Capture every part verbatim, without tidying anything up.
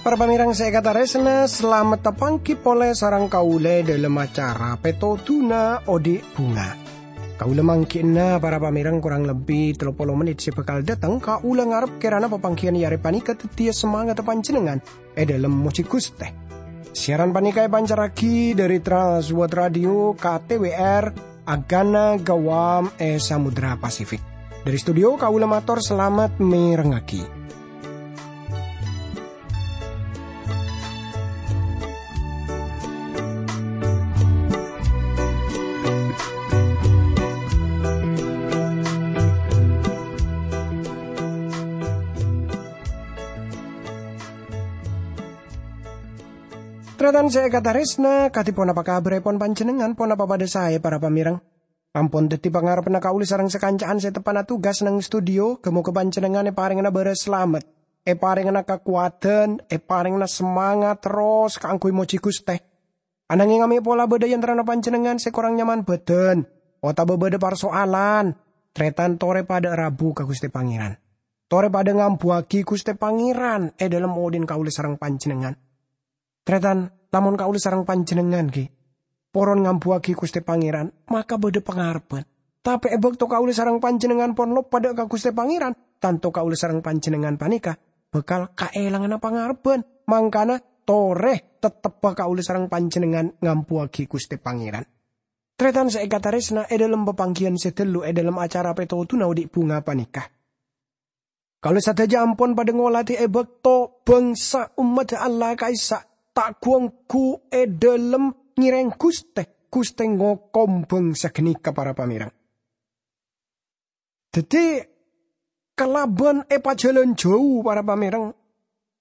Para pamèrèng sè èkatarèsna, salamet tapangghi polè sareng kaulâ è dhâlem acara Pètodhuna Odi' Bhunga. Kaulâ mangghi'na para pamèrèng korang lebbi tello polo mennit sè bhâkal dâteng, kaulâ ngarep kèrana papangghiyân è arè panèka dhâddhiyâ samangatta panjhennengngan è dhâlem mojhi Ghustè. Siaran panèka èpancarraghi dhâri Trans World Radio K T W R, Agana Gawam è Samudra Pasifik. Dhâri studio kaulâ mator salamet mèrengngaghi. Tarètan sè èkatarèsna, kadhi ponapa kabhârèpon panjhennengngan? Ponapa padhâ saè, para pamèrèng? Ampon dhâddhi pangarebbhânna kaulâ sareng sakanca'an sè teppa'na tugas neng studio, ghâ-mogâ panjhennengngan èparèngana bârâs salamet, èparèngana kakowadhân, èparèngana samangat terros kaangghuy mojhi Ghustè. Ananghing amè' pola bâdâ è antarana panjhennengngan sè korang nyaman bhâdhân, otabâ bâdâ parsoalan, tarètan torè padâ rabu ka Ghustè Pangèran. Torè padâ ngambuwâghi Ghustè Pangèran è dhâlem odhi'na kaulâ sareng panjhennengngan. Tarètan, lamon kaulâ sareng panjhennengngan ghi' poron ngambuwâghi Ghustè Pangèran, maka bâdâ pangarebbhân. Tapè è bâkto kaulâ sareng panjhennengngan pon loppa dâ' ka Ghustè Pangèran, tanto kaulâ sareng panjhennengngan panèka bhâkal kaèlangana pangarebbhân. Mangkana, torè tettebbhâ kaulâ sareng panjhennengngan ngambuwâghi Ghustè Pangèran. Tarètan sè èkatarèsna, è dhâlem papangghiyân sè ghâllu è dhâlem acara Pètodhuna Odi' Bhunga panèka, kaulâ sadhâjâ ampon padâ ngolatè è bâkto bhângsa ommaddhâ Allah ka'issa' ta' ghu-ongghu è dhâlem ngèrèng Ghustè, Ghustè ngokom bhângsa ghânèka, para pamèrèng. Dhâddhi, kalabân èpajhâlân jhâu, para pamèrèng,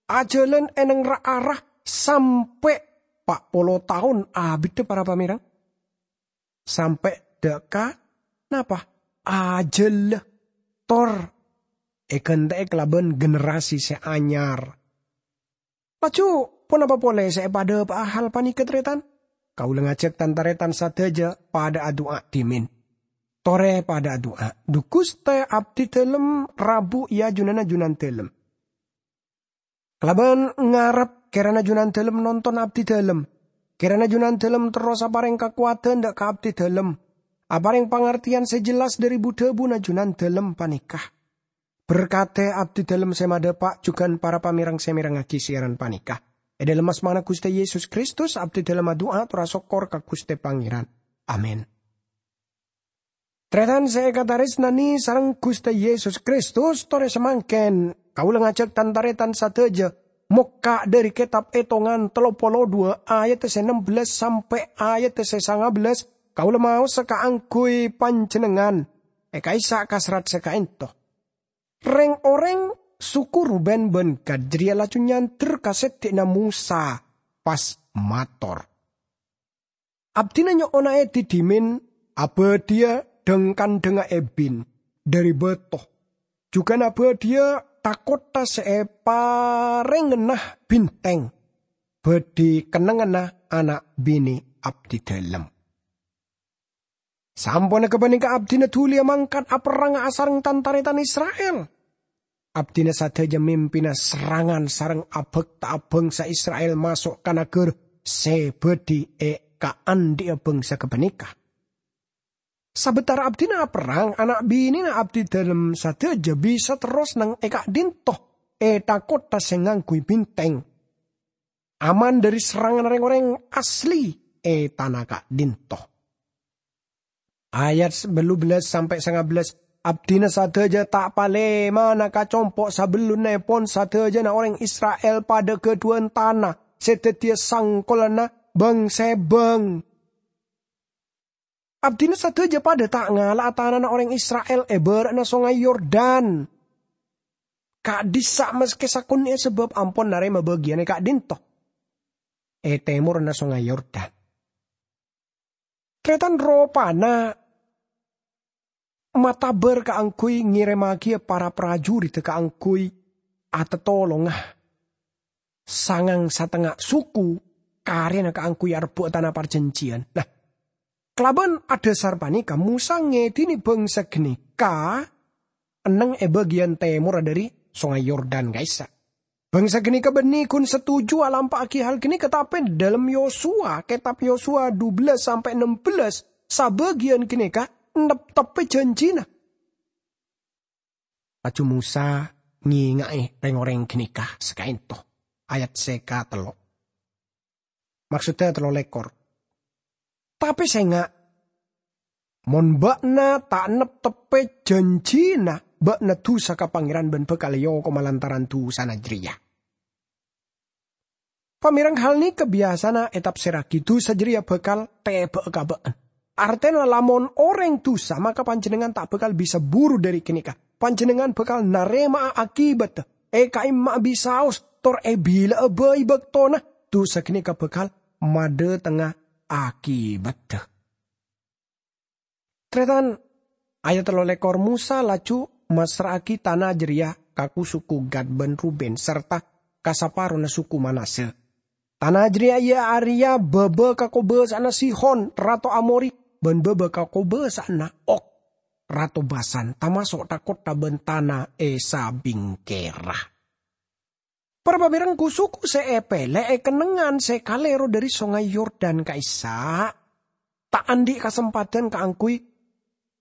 ajhâlân è neng ra-ara sampè' pa' polo taon abiddhâ, para pamèrèng. Sampè' dâ' ka napa? Ajhâlla, tor èghântè'è kalabân generasi sè anyar. Laju, ponapa polè sè èpadhâpa'a hal panèka, tarètan? Kaulâ ngajhâk tan-tarètan sadhâjâ padâ adu'a dhimèn. Torè padâ adu'a. "Dhu Ghustè, abdhi dhâlem rabu è ajunanna Junandhâlem." Kalabân ngarep kèrana Junandhâlem nonton abdhi dhâlem. Kèrana Junandhâlem terros aparèng kakowadhân dâ' ka abdhi dhâlem. Aparèng pangartèyan sè jelas dhâri bu-dhâbuna Junandhâlem panèka. Berkadhi abdhi dhâlem sè madhâpa' jhughân para pamèrèng sè mèrengngaghi siaran panèka. È dhâlem asmana Ghustè Yesus Kristus, abdhi dhâlem adu'a tor asokkor ka Ghustè Pangèran. Amin. Tarètan sè èkatarèsnanè sareng Ghustè Yesus Kristus, torè samangkèn kaulâ ngajhâk tan-tarètan sadhâjâ mokka' dhâri kètab Ètongan tello polo duwâ' ayat sè ennem bellâs sampè' ayat sè sanga bellâs, kaulâ maosa kaangghuy panjhennengngan è ka'issa' ka serrat sè ka'ènto. Rèng-orèng suku Ruben bân Gad jârèya laju nyandher ka sèddhi'na Mosa, pas mator, "Abdhina nyo'ona èdhi dhimèn abâdhiyâ dhâng-kandhângnga èbin dhâri bâto, jhughân abâdhiyâ tha-kottha sè èparèngana bhintèng, bhâdhi kennengnganna ana' binè' abdhi dhâlem." Samponna ghâpanèka abdhina dhuliyâ mangkat aperrang asareng tan-tarètan Isra'il. Abdhina sadhâjâ mimpina serrangan sareng abhâkta'a bhângsa Isra'il maso' ka naghârâ sè bhâdhi è kaandhi'â bhângsa ghâpanèka. Sabâtara abdhina aperrang, ana' binèna abdhi dhâlem sadhâjâ bisa terros neng è ka'dhinto, è tha-kottha sè ngangghuy bhintèng, aman dhâri serranganna rèng-orèng asli è tana ka'dhinto. Ayat bâllu bellâs sampè' sanga bellâs, "Abdhina sadhâjâ ta' palèmana ka compo' sabellunnaèpon sadhâjâna orèng Isra'il padâ ghâdhuwân tana sè dhâddhiyâ sangkolanna bâng-sèbâng." Abdhina sadhâjâ padâ ta' ngala'a tanana orèng Isra'il è bârâ'na Songay Yordan. Ka'dhissa' maskè sakonè'è sabâb ampon narèma bâgiyân è ka'dhinto, è tèmorra Songay Yordan. Tarètan ropana matabâr kaangghuy ngèrèmmaghiyâ para parajuriddhâ kaangghuy atatolonga sangang satengnga suku karena kaangghuy arebbhu'a tana parjanjiyan. Nah, kalaban adhasar panèka Mosa ngèdhini bhângsa ghânèka enneng è bâgiyân tèmorra dhâri Songay Yordan ka'issa'. Bhângsa ghânèka bânnè ghun satuju alampa'aghi hal ghânèka, tapè dhâlem Yosua, kètab Yosua dubellâs sampè' nembellâs, sabâgiyân ghânèka nepteppè janjina. Laju Mosa ngènga'è rèng-orèng ghânèka sakaènto. Ayat sè katello'. Maksodda tello lèkor. Tapè sènga', mon bâ'na ta' nepteppè janjina, bâ'na dusa ka Pangèran bân bhâkal èokoma lantaran dusana jârèya. Pamèreng hal nèka biyasana ètafsirraghi, dusa jârèya bhâkal tèbâ'â ka bâ'na. Artèna, lamon orèng dusa, maka panjhennengngan ta' bhâkal bisa buru dhâri ghânèka. Panjhennengngan bhâkal narèma'a akibatta, èkaèmma'a bisaos, tor èbila'a bhâi bâktona. Dusa ghânèka bhâkal madhâtengnga akibatta. Tarètan, ayat tello lèkor, Mosa laju massra'aghi tana jârèya ka ku-suku Gad bân Ruben sarta ka saparona suku Manasye. Tana jârèya iyâ arèya bâbâ kakobâsa'anna Sihon, rato Amori, bân bâbâ kakobâsa'anna Og, rato Basan, tamaso' tha-kottha bân tana è sabingkèra. Para pamèreng, ku-suku sè èpèlè è kennengngan sè kalèro dhâri Songay Yordan ka'issa', ta' andi' kasempadhân kaangghuy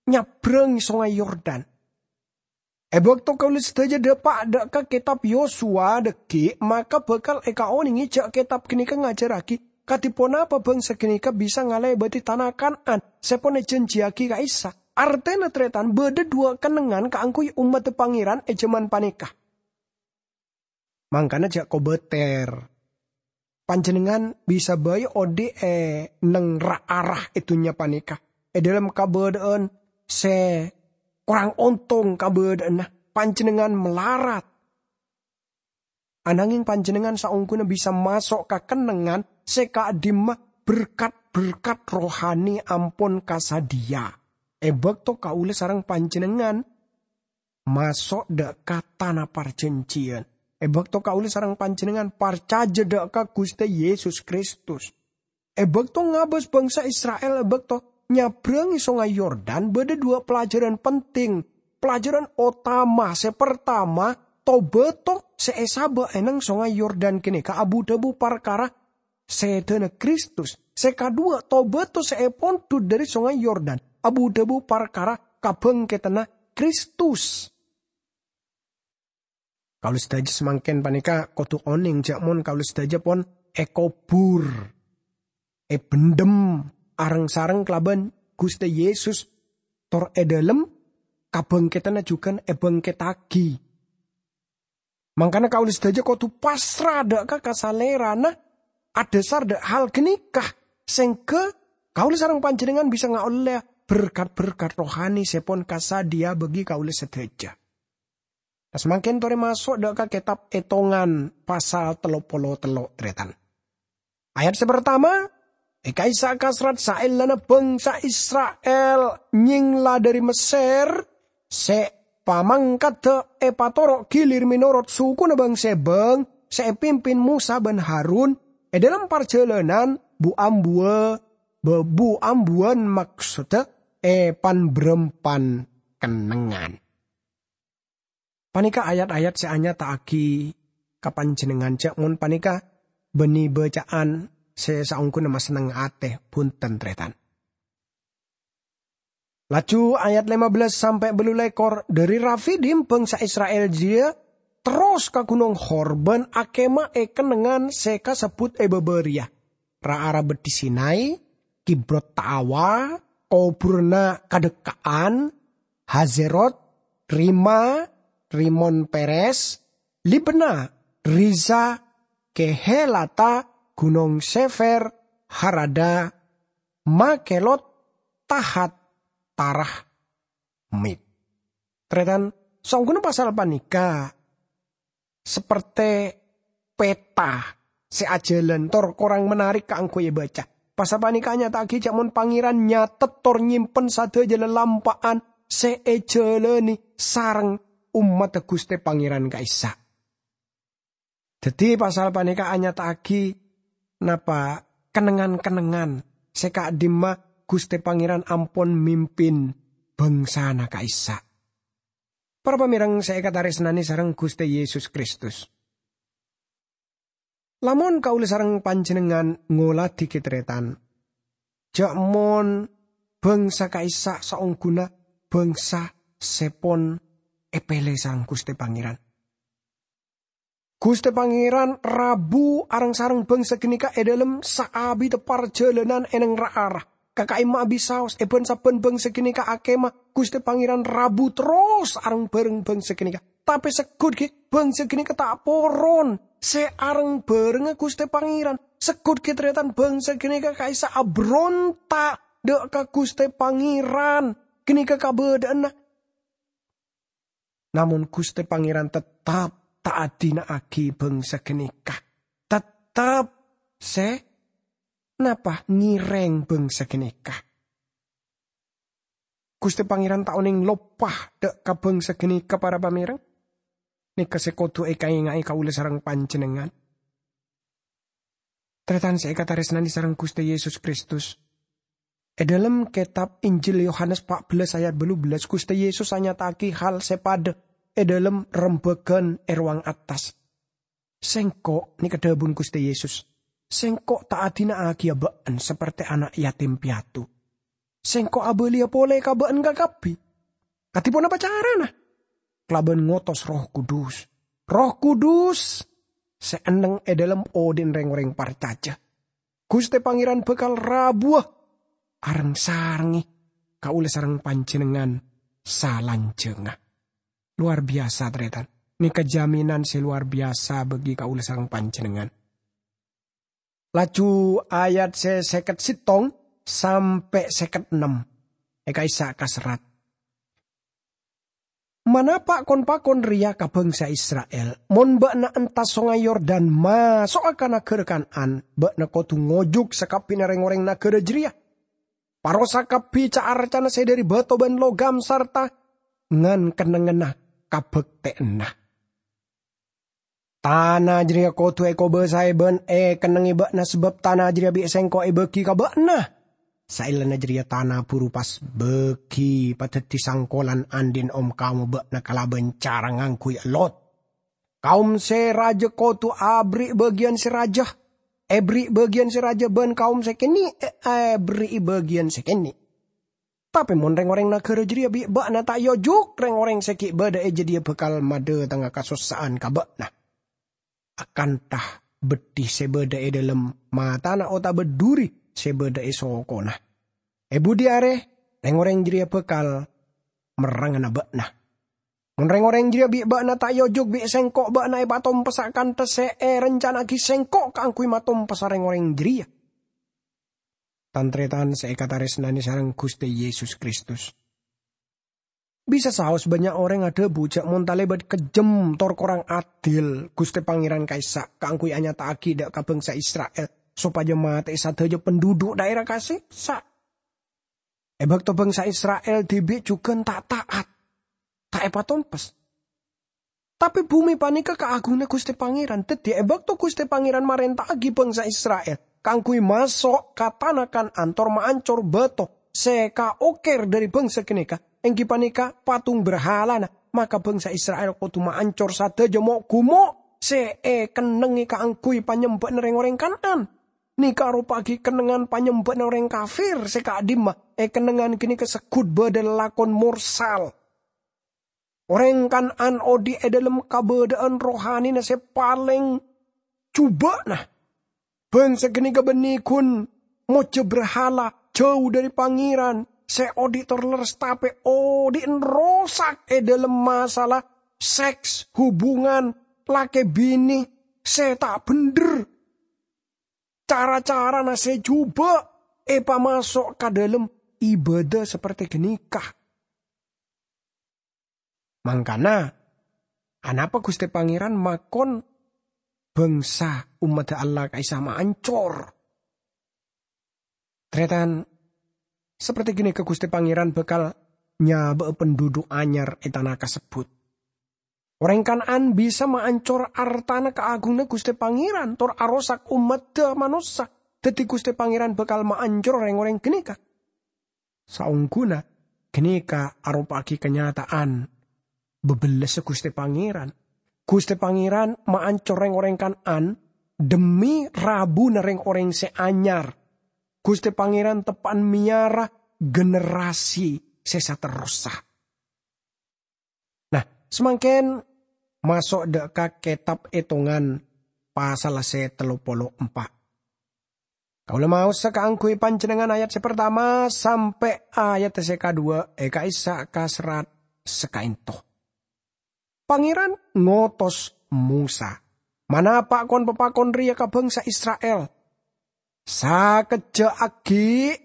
nyabrâng Songay Yordan. È bâkto kaulâ sadhâjâ dhâpa' dhâ' ka kètab Yosua dhâggi', maka bhâkal èkaonèngè jâ' kètab ghânèka ngajhârraghi kadhi ponapa bhângsa ghânèka bisa ngalèbâdhi tana Kan'an sè pon èjhânjhiyaghi ka'issa'. Artèna, tarètan, bâdâ duwâ' kennengngan kaangghuy ommaddhâ Pangèran è jhâman panèka. Mangkana jhâ' kobâtèr. Panjhennengngan bisa bhâi odi' è neng ra-ara è dhunnya panèka. È dhâlem kabâdâ'ân sè korang ontong kabâdâ'ânna, panjhennengngan malarat. Anangèng panjhennengngan saongghuna bisa maso' ka kennengngan sè ka'dimma berkat-berkat rohani ampon kasadhiyâ. È bâkto kaulâ sareng panjhennengngan maso' dhâ' ka tana parjanjiyân. È bâkto kaulâ sareng panjhennengngan parcajâ dhâ' ka Ghustè Yesus Kristus. È bâkto ngabâs bhângsa Isra'il, è bâkto nyabrângè Songay Yordan, bâdâ duwâ' pelajaran penting. Pelajaran otama sè partama, to-bâto sè èsabâ' è neng Songay Yordan ghânèka abu-dhâbu parkara sèdhâna Kristus. Sè kaduwâ', to-bâto sè èpondhut dhâri Songay Yordan abu-dhâbu parkara kabhângkèdhânna Kristus. Kaulâ sadhâjâ samangkèn panèka kodhu onèng jhâ' mon kaulâ sadhâjâ pon èkobhur, èbhendhem areng-sareng kalabân Ghustè Yesus, tor è dhâlem kabhângkèdhânna jhughân èbhângkèttaghi. Mangkana kaulâ sadhâjâ kodhu pasra dhâ' ka, ka Salèrana adhâsar dhâ' hal ghânèka, sèngghâ kaulâ sareng panjhennengngan bisa ngaollèya berkat-berkat rohani sè pon kasadhiyâ bagi kaulâ sadhâjâ. Samangkèn torè maso' dhâ' ka kètab Ètongan pasal tello polo tello', tarètan. Ayat sè partama, è ka'issa' kasrat saellana bhângsa Isra'il nyèngla dhâri Messèr, sè pamangkadhâ èpatoro' ghilir mènorot sukuna bâng-sèbâng sè èpimpin Mosa bân Harun è dhâlem parjhâlânan bu-ambuwâ-, bu-ambuwân, maksodda è pan-bârâmpan kennengngan. Panèka ayat-ayat sè anyata'aghi ka panjhennengngan jhâ' mon panèka bânnè bâca'an sè saongghuna masenneng atè, bhunten, tarètan. Laju ayat lèma bellâs sampè' bâllu lèkor, dhâri Rafidim bhângsa Isra'il jârèya terros ka Gunong Hor bân akèma è kennengngan sè kasebbhut è bâbâ rèya. Ra-ara Beddhi Sinai, Kibrot Taawa, kobhurânna Kadhekka'an, Hazerot, Rima, Rimon Peres, Libna, Riza, Kehelata, Gunong Sefer, Harada, Makelot, Tahat, Tarahmit. Tarètan, saongghuna pasal panèka sapertè peta sè ajhâlân tor korang menarik kaangghuy èbâca. Pasal panèka anyata'aghi jhâ' mon Pangèran nyatet tor nyèmpen sadhâjâ lalampa'an sè èjhâlâni sareng ommaddhâ Ghustè Pangèran ka'issa'. Dhâddhi, pasal panèka anyata'aghi Napa kennengngan-kennengngan sè ka'dimma Ghustè Pangèran ampon mimpin bhângsana ka'issa'? Para pamèreng sè èkatarèsnanè sareng Ghustè Yesus Kristus. Lamon kaulâ sareng panjhennengngan ngoladhi ghi' tarètan, jhâ' mon bhângsa ka'issa' saongghuna bhângsa sè pon èpèlè sareng Ghustè Pangèran. Ghustè Pangèran rabu areng-sareng bhângsa ghânèka è dhâlem saabiddhâ parjhâlânan è neng ra-ara. Ka ka'imma abisaos, è bân-sabbhân bhângsa ghânèka akèma, Ghustè Pangèran rabu terros areng-bhâreng bhângsa ghânèka. Tapè segghut ghi', bhângsa ghânèka ta' poron sè areng-bhârengnga Ghustè Pangèran. Segghut ghi' tarètan bhângsa ghânèka ka'issa' abronta' dhâ' ka Ghustè Pangèran. Ghânèka kabâdâ'ânna. Namong Ghustè Pangèran tettep ta' adina'aghi bhângsa ghânèka. Tettep sè napa ngèrèng bhângsa ghânèka. Ghustè Pangèran ta' onèng loppa dhâ' ka bhângsa ghânèka, para pamèreng. Nèka sè kodhu èkaènga'è kaulâ sareng panjhennengngan. Tarètan sè èkatarèsnanè sareng Ghustè Yesus Kristus. È dhâlem kètab Injil Yohanes pa' bellâs ayat bâllu bellâs, Ghustè Yesus anyata'aghi hal sè padâ è dhâlem rembhâghân è rowang attas. "Sèngko'," nèka dhâbuna Ghustè Yesus, "Sèngko' ta' adina'aghiyâ bâ'ân saperte ana' yatim piatu. Sèngko' abâliyâ polè ka bâ'ân kakabbhi." Kadhi ponapa carana? Kalabân ngotos Erroh Kudus. Erroh Kudus sè enneng è dhâlem odi'na rèng-orèng parcajâ. Ghustè Pangèran bhâkal rabuwâ areng-sarengngè kaulâ sareng panjhennengngan salanjhângnga. Lowar biyasa, tarètan. Nèka jaminan sè lowar biyasa bagi kaulâ sareng panjhennengngan. Laju ayat sè sèket sèttong sampè' sèket ennem. È ka'issa' kaserrat, "Manapa' kon-pakon rèya ka bhângsa Isra'il, 'Mon bâ'na entas Songay Yordan maso'a ka naghârâ Kan'an, bâ'na kodhu ngojuk sakabbhiyânna rèng-orèng naghârâ jârèya. Parosa kabbhi ca'-arcana sè dhâri bâto bân logam sarta ngan-kennengnganna kabhâktè'anna. Tana jârèya kodhu èkobâsaè bân èkennengngè bâ'na, sabâb tana jârèya bi' Sèngko' èbâgi ka bâ'na.' Saellana jârèya tana buru pas bâgi padhâddhi sangkolan andi'na om-kaoma bâ'na kalabân cara ngangghuy ellot. Kaom sè rajâ kodhu aberri' bâgiyân sè rajâ, èberri' bâgiyân sè rajâ, bân kaom sè kènè' èberri'i bâgiyân sè kènè'. Tapè mon rèng-orèng naghârâ jârèya bi' bâ'na ta' èojuk, rèng-orèng sè ghi' bâdâ è jâdiyâ bhâkal madhâtengnga kasossa'an ka bâ'na, akantha beddhi sè bâdâ è dhâlem matana otabâ dhuri sè bâdâ è sokona. È budi arè, rèng-orèng jârèya bhâkal merrangana bâ'na. Mon rèng-orèng jârèya bi' bâ'na ta' èojuk bi' Sèngko', bâ'na èpatompessa akantha sè èrencana'aghi Sèngko' kaangghuy matompessa rèng-orèng jârèya." Tan-tarètan sè èkatarèsnanè sareng Ghustè Yesus Kristus. Bisa saos bânnya' orèng adhâbu jâ' mon talèbât kejjhem tor korang adil Ghustè Pangèran ka'issa' kaangghuy anyata'aghi dhâ' ka bhângsa Isra'il sopajâ matè'è sadhâjâ penduduk dhaèra kasèksa'. È bâkto bhângsa Isra'il dhibi' jhughân ta' ta'at, ta' èpatompes. Tapè bhumè panèka kaagunganna Ghustè Pangèran. Dhâddhi, è bâkto Ghustè Pangèran marènta'aghi bhângsa Isra'il kaangghuy maso' ka tana Kan'an tor maancor bâto sè kaoker dhâri bhângsa ghânèka, èngghi panèka patung brahalana, maka bhângsa Isra'il kodhu maancor sadhâjâ mo'-gumo' sè èkennengngè kaangghuy panyembâ'na rèng-orèng Kan'an. Nèka aropa'aghi kennengngan panyembâ'na orèng kafir sè ka'dimma, è kennengngan ghânèka segghut bâdâ lalakon morsal. Orèng Kan'an odi' è dhâlem kabâdâ'ân rohanina sè palèng jhubâ'na. Bhângsa ghânèka bânnè ghun mojâ brahala, jhâu dhâri Pangèran, sè odi' tor lerres tapè odi' rosak è dhâlem masalah seks, hubungan lakè binè sè ta' bhendher. Cara-carana sè jhubâ' èpamaso' ka dhâlem ibâdâ saperte ghânèka. Mangkana, anapa Ghustè Pangèran makon bhângsa ommaddhâ Allah ka'issa' maancor? Tarètan, saperte ghânèka Ghustè Pangèran bhâkal nyabâ'â penduduk anyar è tana kasebbhut. Orèng Kan'an bisa maancor artana kaagunganna Ghustè Pangèran tor arosak ommaddhâ manossa. Dhâddhi Ghustè Pangèran bhâkal maancor rèng-orèng ghânèka. Saongghuna ghânèka aropa'aghi kanyata'an bâbellâssa Ghustè Pangèran. Ghustè Pangèran maancor rèng-orèng Kan'an dhemmi rabuna rèng-orèng sè anyar. Ghustè Pangèran teppa'an mèyara generasi sè saterrossa. Nah, samangkèn maso' dâ' ka Kètab Ètongan pasal sè tello polo empa'. Kaulâ maosa kaangghuy panjhennengngan ayat sè partama sampè' ayat sè kaduwâ' è ka'issa' ka serrat sakaènto. Pangèran ngotos Mosa, "Manapa' kon-papakon rèya ka bhângsa Isra'il? Sakejjhâ' aghi'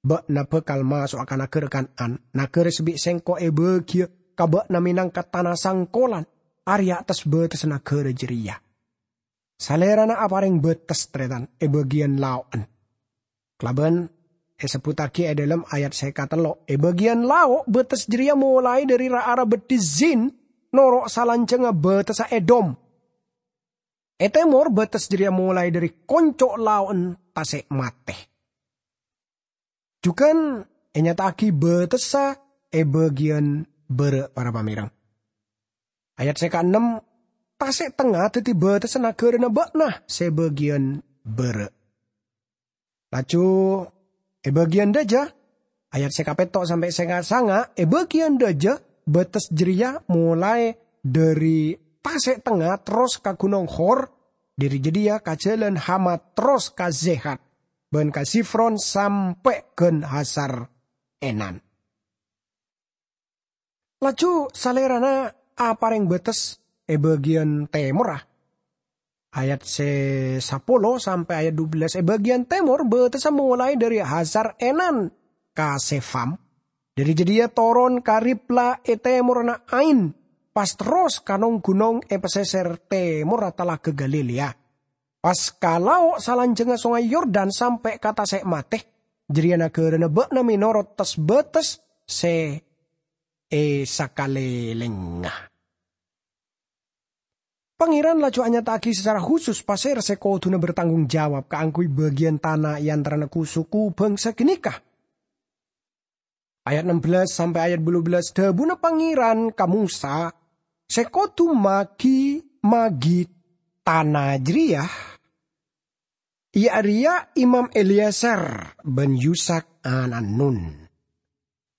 bâ'na bhâkal maso'a ka naghârâ Kan'an, naghârâ sè bi' Sèngko' èbâghiyâ ka bâ'na mènangka tana sangkolan, arèya attas bâtessa naghârâ jârèya." Salèrana aparèng bâtes, tarètan, è bâgiyân lao'en. Kalabân èsebbhuttaghi è dhâlem ayat sè katello', è bâgiyân lao' bâtes jârèya molaè dhâri ra-ara beddhi Zin noro' salanjhângnga bâtessa Edom. È tèmor bâtes jârèya molaè dhâri konco' lao'en Tasè' Matè. Jhughân ènyata'aghi bâtessa è bâgiyân bârâ', para pamèreng. Ayat sè kaennem, "Tasè' Tengnga dhâddhi bâtessa naghârâna bâ'na sè bâgiyân bârâ'." Laju è bâgiyân dhâjâ, ayat sè kapètto' sampè' sè kasanga', è bâgiyân dhâjâ bâtes jârèya molaè dhâri Tasè' Tengnga terros ka Ghunong Hor, dhâri jâdiyâ ka jhâlân Hamat terros ka Zehat, bân ka Zifron sampè' ghân Hasar Enan. Laju Salèrana aparèng bâtes è bâgiyân tèmorra. Ayat sè sapolo sampè' ayat dubellâs, è bâgiyân tèmor bâtessa molaè dhâri Hasar Enan ka Sefam, dhâri jâdiyâ toron ka Ribla è tèmorra Ain, pas terros ka nong-ghunong è pasèsèr tèmorra Talaga Galilea. Pas ka lao' salanjhângnga Songay Yordan sampè' ka Tasè' Matè, jârèya naghârâna bâ'na mènorot tes-bâtes sè è sakalèlèngnga. Pangèran laju anyata'aghi sacara khusus pasèra sè kodhuna bertanggung jawab kaangghuy bâgiyân tana è antarana ku-suku bhângsa ghânèka. Ayat ennem bellâs sampè' ayat bâllu bellâs, dhâbuna Pangèran ka Mosa, "Sè kodhu magi-, magi tana jârèya, iyâ arèya Imam Eleazar bân Yusak ana'na Nun.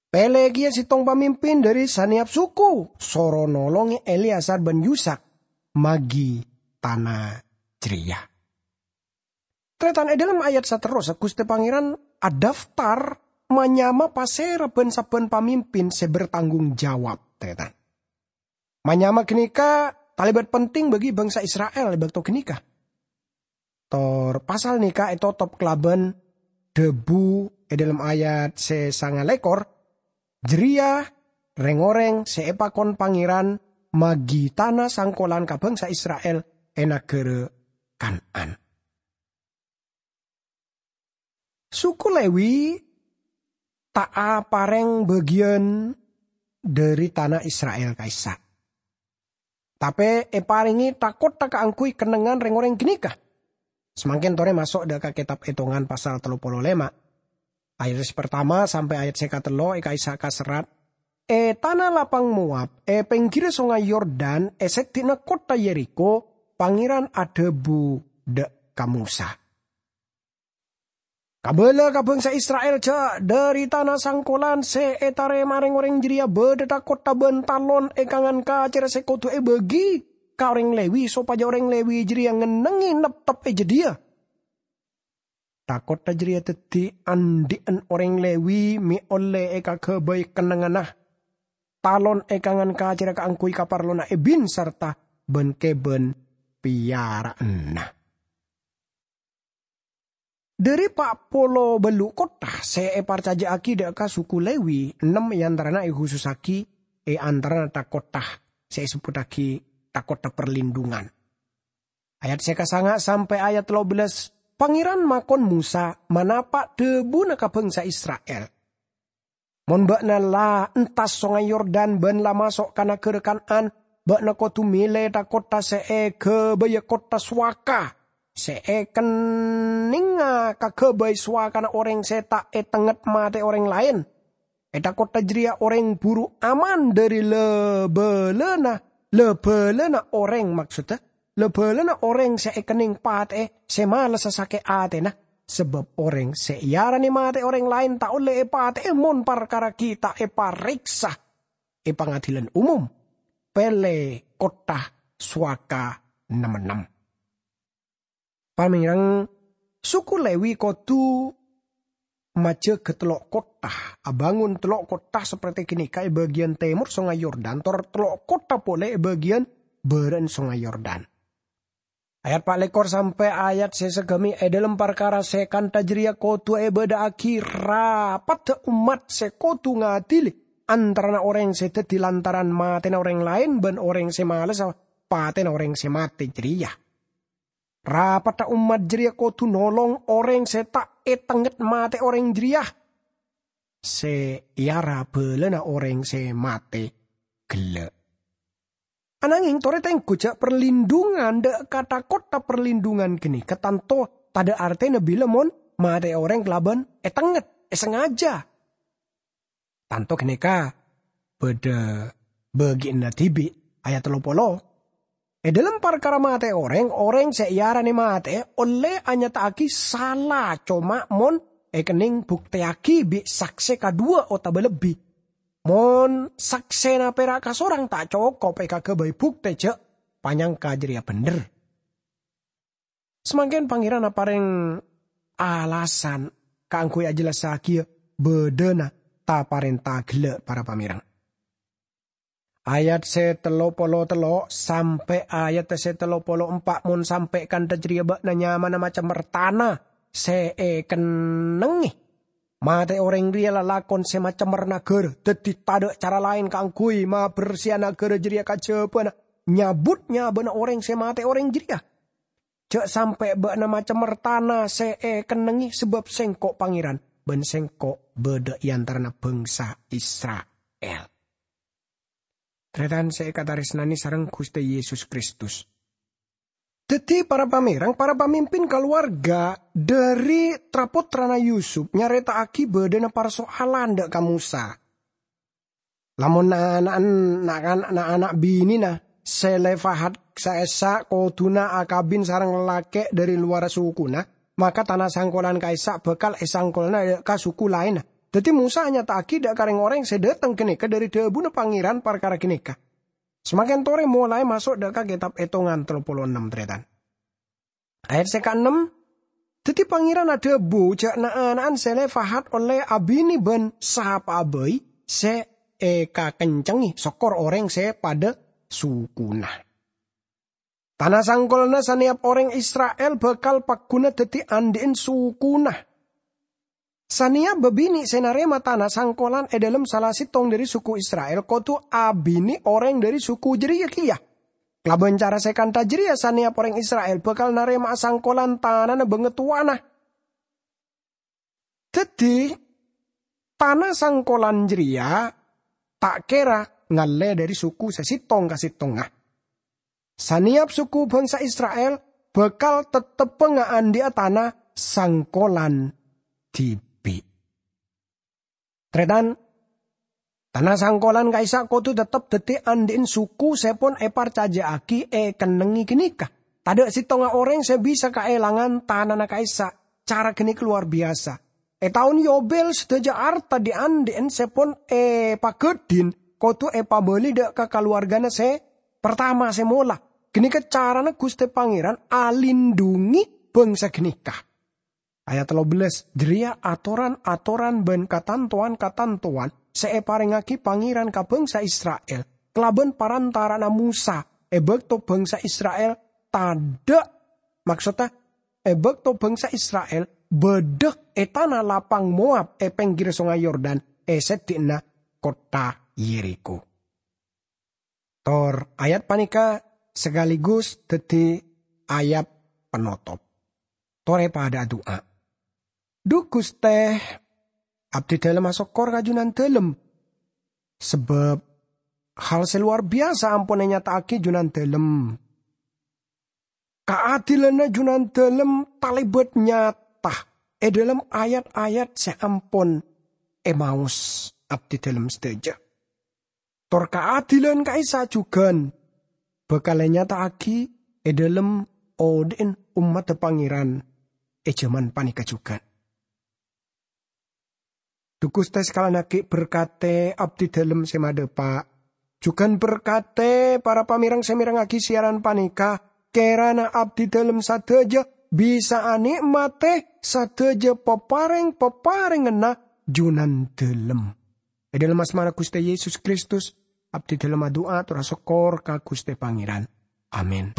Pèlè kèya sèttong pamimpin dhâri sanèyap suku, soro nolongè Eleazar bân Yusak magi tana jârèya." Tarètan, è dhâlem ayat saterrossa, Ghustè Pangèran adaftar manyama pasèra bân sabbhân pamimpin sè bertanggung jawab, tarètan. Manyama ghânèka talèbât penting bagi bhângsa Isra'il è bâkto ghânèka. Tor pasal nèka ètotop kalabân dhâbu è dhâlem ayat sè sanga lèkor, "Jârèya rèng-orèng sè èpakon Pangèran magi tana sangkolan ka bhângsa Isra'il è naghârâ Kan'an." Suku Lewi ta' aparèng bâgiyân dhâri tana Isra'il ka'issa', tapè èparèngè tha-kottha kaangghuy kennengngan rèng-orèng ghânèka. Samangkèn torè maso' dâ' ka Kètab Ètongan pasal tello polo lèma', ayat sè partama sampè' ayat sè katello' è ka'issa' kaserrat, "È tana lapang Moab, è pèngghirra Songay Yordan, è sèddhi'na kottha Yerikho, Pangèran adhâbu dâ' ka Mosa, 'Kabâlâ ka bhângsa Isra'il jâ' dhâri tana sangkolan sè ètarèma rèng-orèng jârèya bâdâ tha-kottha bân talon è kangan kacèrra sè kodhu èbâgi ka orèng Lewi, sopajâ orèng Lewi jârèya ngennengngè neptep è jâdiyâ. Tha-kottha jârèya dhâddhi andhi'ân orèng Lewi mè' ollè èkaghâbây kennengnganna talon è kangan kacèrra kaangghuy kaparlona èbin sarta bân-kèbân pèyara'anna.'" Dhâri pa' polo bâllu' kottha sè èparcajâ'aghi dâ' ka suku Lewi, ennem è antarana èkhusussaghi è antarana tha-kottha sè èsebbhuttaghi tha-kottha parlindhungan. Ayat sè kasanga' sampè' ayat tello bellâs, Pangèran makon Mosa, "Manapa' dhâbuna ka bhângsa Isra'il? Mon bâ'na la entas Songay Yordan bân la maso' ka naghârâ Kan'an, bâ'na kodhu mèlè tha-kottha sè èghâbâyâ kottha sowaka, sè èkennengnga kaghâbây sowakana orèng sè ta' ètengnget matè orèng laèn. È tha-kottha jârèya orèng buru aman dhâri la-bâlâna, la-bâlâna orèng, maksodda, la-bâlâna orèng sè èkenneng patè'è sè malessa sakè' atèna, sabâb orèng sè èarani matè orèng laèn ta' ollè èpatè'è mon parkara ghi' ta' èparèksa è pangadilan umum. Pèlè kottha sowaka nem-ennem. Pamèreng, suku Lewi kodhu majâgâ tello' kottha, abângon tello' kottha saperte ghânèka è bâgiyân tèmor Songay Yordan, tor tello' kottha polè è bâgiyân bârâ'na Songay Yordan. Ayat pa' lèkor sampè' ayat sè sagâmè' è dhâlem parkara sè kantha jârèya kodhu èbâdâ'aghi rapaddhâ ommat sè kodhu ngadili antarana orèng sè dhâddhi lantaran matèna orèng laèn bân orèng sè malessa patèna orèng sè matè jârèya. Rapaddhâ ommat jârèya kodhu nolong orèng sè ta' ètengnget matè orèng jârèya, sè èara bâlâna orèng sè matè ghellâ'. Anangèng torè tengghu jâ' parlindungan dâ' ka tha-kottha parlindungan ghânèka tanto tadâ' artèna bilâ mon matè'è orèng kalabân ètengnget, èsangajâ. Tanto ghânèka bâdâ bâgiânna dhibi'. Ayat tello polo. È dhâlem parkara matè'è orèng, orèng sè èarani matè'è ollè anyata'aghi sala coma mon èkennèng buktèyaghi bi' saksè kadhuwâ otabâ lebbi. Mon saksèna pèra' kasorang ta' cokop èkaghâbây buktè jâ' panyangka jârèya bhendher. Samangkèn Pangèran aparèng alasan kaangghuy ajhellassaghiyâ bâdâna ta-parènta ghellâ', para pamèreng. Ayat sè tello polo tello' sampè' ayat sè tello polo empa', mon sampè' kantha jârèya bâ'na nyamana macemmer tana sè èkennengngè. Matè'è orèng rèya lalakon sè macemmer naghârâ, dhâddhi tadâ' cara laèn kaangghuy mabersèa naghârâ jârèya kajhâbhâna nyabut nyabâna orèng sè matè'è orèng jârèya. Jâ' sampè' bâ'na macemmer tana sè èkennengngè, sabâb Sèngko' Pangèran, bân Sèngko' bâdâ è antarana bhângsa Isra'il. Tarètan sè èkatarèsnanè sareng Ghustè Yesus Kristus. Dhâddhi, para pamèreng, para pamimpin kalowarga dhâri tra-pottrana Yusup nyarèta'aghi bâdâna parso'alan dâ' ka Mosa. Lamon na'-ana'en, na'-, na'-ana' binèna Selefahad ka'issa' kodhuna akabin sareng lalakè' dhâri lowarra sokona, maka tana sangkolan ka'issa' bhâkal èsangkolana dâ' ka soko laènna. Dhâddhi Mosa anyata'aghi dâ' ka rèng-orèng sè dâteng ghânèka dhâri dhâbuna Pangèran parkara ghânèka. Samangkèn torè molaè maso' dâ' ka Kètab Ètongan tello polo ennem, tarètan. Ayat sè kaennem, dhâddhi Pangèran adhâbu jâ' na'-ana'an Selefahad ollè abinè bân sapa'a bhâi sè èkakencengngè, sokor orèng sè padâ sokona. Tana sangkolanna sanèyap orèng Isra'il bhâkal pagghuna dhâddhi andhi'en sokona. Sanèyap bâbinè' sè narèma tana sangkolan è dhâlem sala sèttong dhâri soko Isra'il kodhu abinè orèng dhâri soko jârèya kèya. Kalabân cara sè kantha jârèya, sanèyap orèng Isra'il bhâkal narèma'a sangkolan tanana bângatowana. Dhâddhi, tana sangkolan jârèya ta' kèra ngallè dhâri soko sè sèttong ka sèttongnga. Sanèyap soko bhângsa Isra'il bhâkal tettebbhâ ngaandhi'a tana sangkolan dhibi'. Tarètan, tana sangkolan ka'issa' kodhu tettep dhâddhi andhi'en soko sè pon èparcajâ'aghi èkennengngè ghânèka. Tadâ' sèttongnga orèng sè bisa kaèlangan tanana ka'issa'. Cara ghânèka lowar biyasa. È taon Yobel, sadhâjâ arta dhi'-andhi'en sè pon èpaghâdhin kodhu èpabâli dâ' ka kalowargana sè partama sè mola. Ghânèka carana Ghustè Pangèran alindhungi bhângsa ghânèka. Ayat tello bellâs, jârèya atoran-atoran bân katantowan-katantowan sè èparèngngaghi Pangèran ka bhângsa Isra'il kalabân parantara'anna Mosa è bâkto bhângsa Isra'il tadâ', maksodda, è bâkto bhângsa Isra'il bâdâ è tana lapang Moab è pèngghirra Songay Yordan è seddhi'na kottha Yerikho. Tor ayat panèka sakaligus dhâddhi ayat panotop. Torè padâ adu'a. Dhu Ghustè, abdhidhâlem asokkor ka Junandhâlem, sabâb Hal sè lowar biyasa ampon ènyata'aghi Junandalem. Kaadilanna Junandalem talèbât nyata è dhâlem ayat-ayat sè ampon èmaos abdidalem sadhâjâ. Tor kaadilan ka'issa' jhughân bhâkal ènyata'aghi è dhâlem odhi'na ommaddhâ Pangèran è jhâman panèka jhughân. Dhu Ghustè, sakalèyan aghi' berkatè abdidalem sè madhâpa'. Jhughân berkatè para pamèreng sè mèrengngaghi siaran panèka, kèrana abdidalem sadhâjâ bisa anè'matè sadhâjâ paparèng-paparènganna Junandalem. È dhâlem asmana Ghustè Yesus Kristus, abdidalem adu'a tor asokkor ka Ghustè Pangèran. Amin.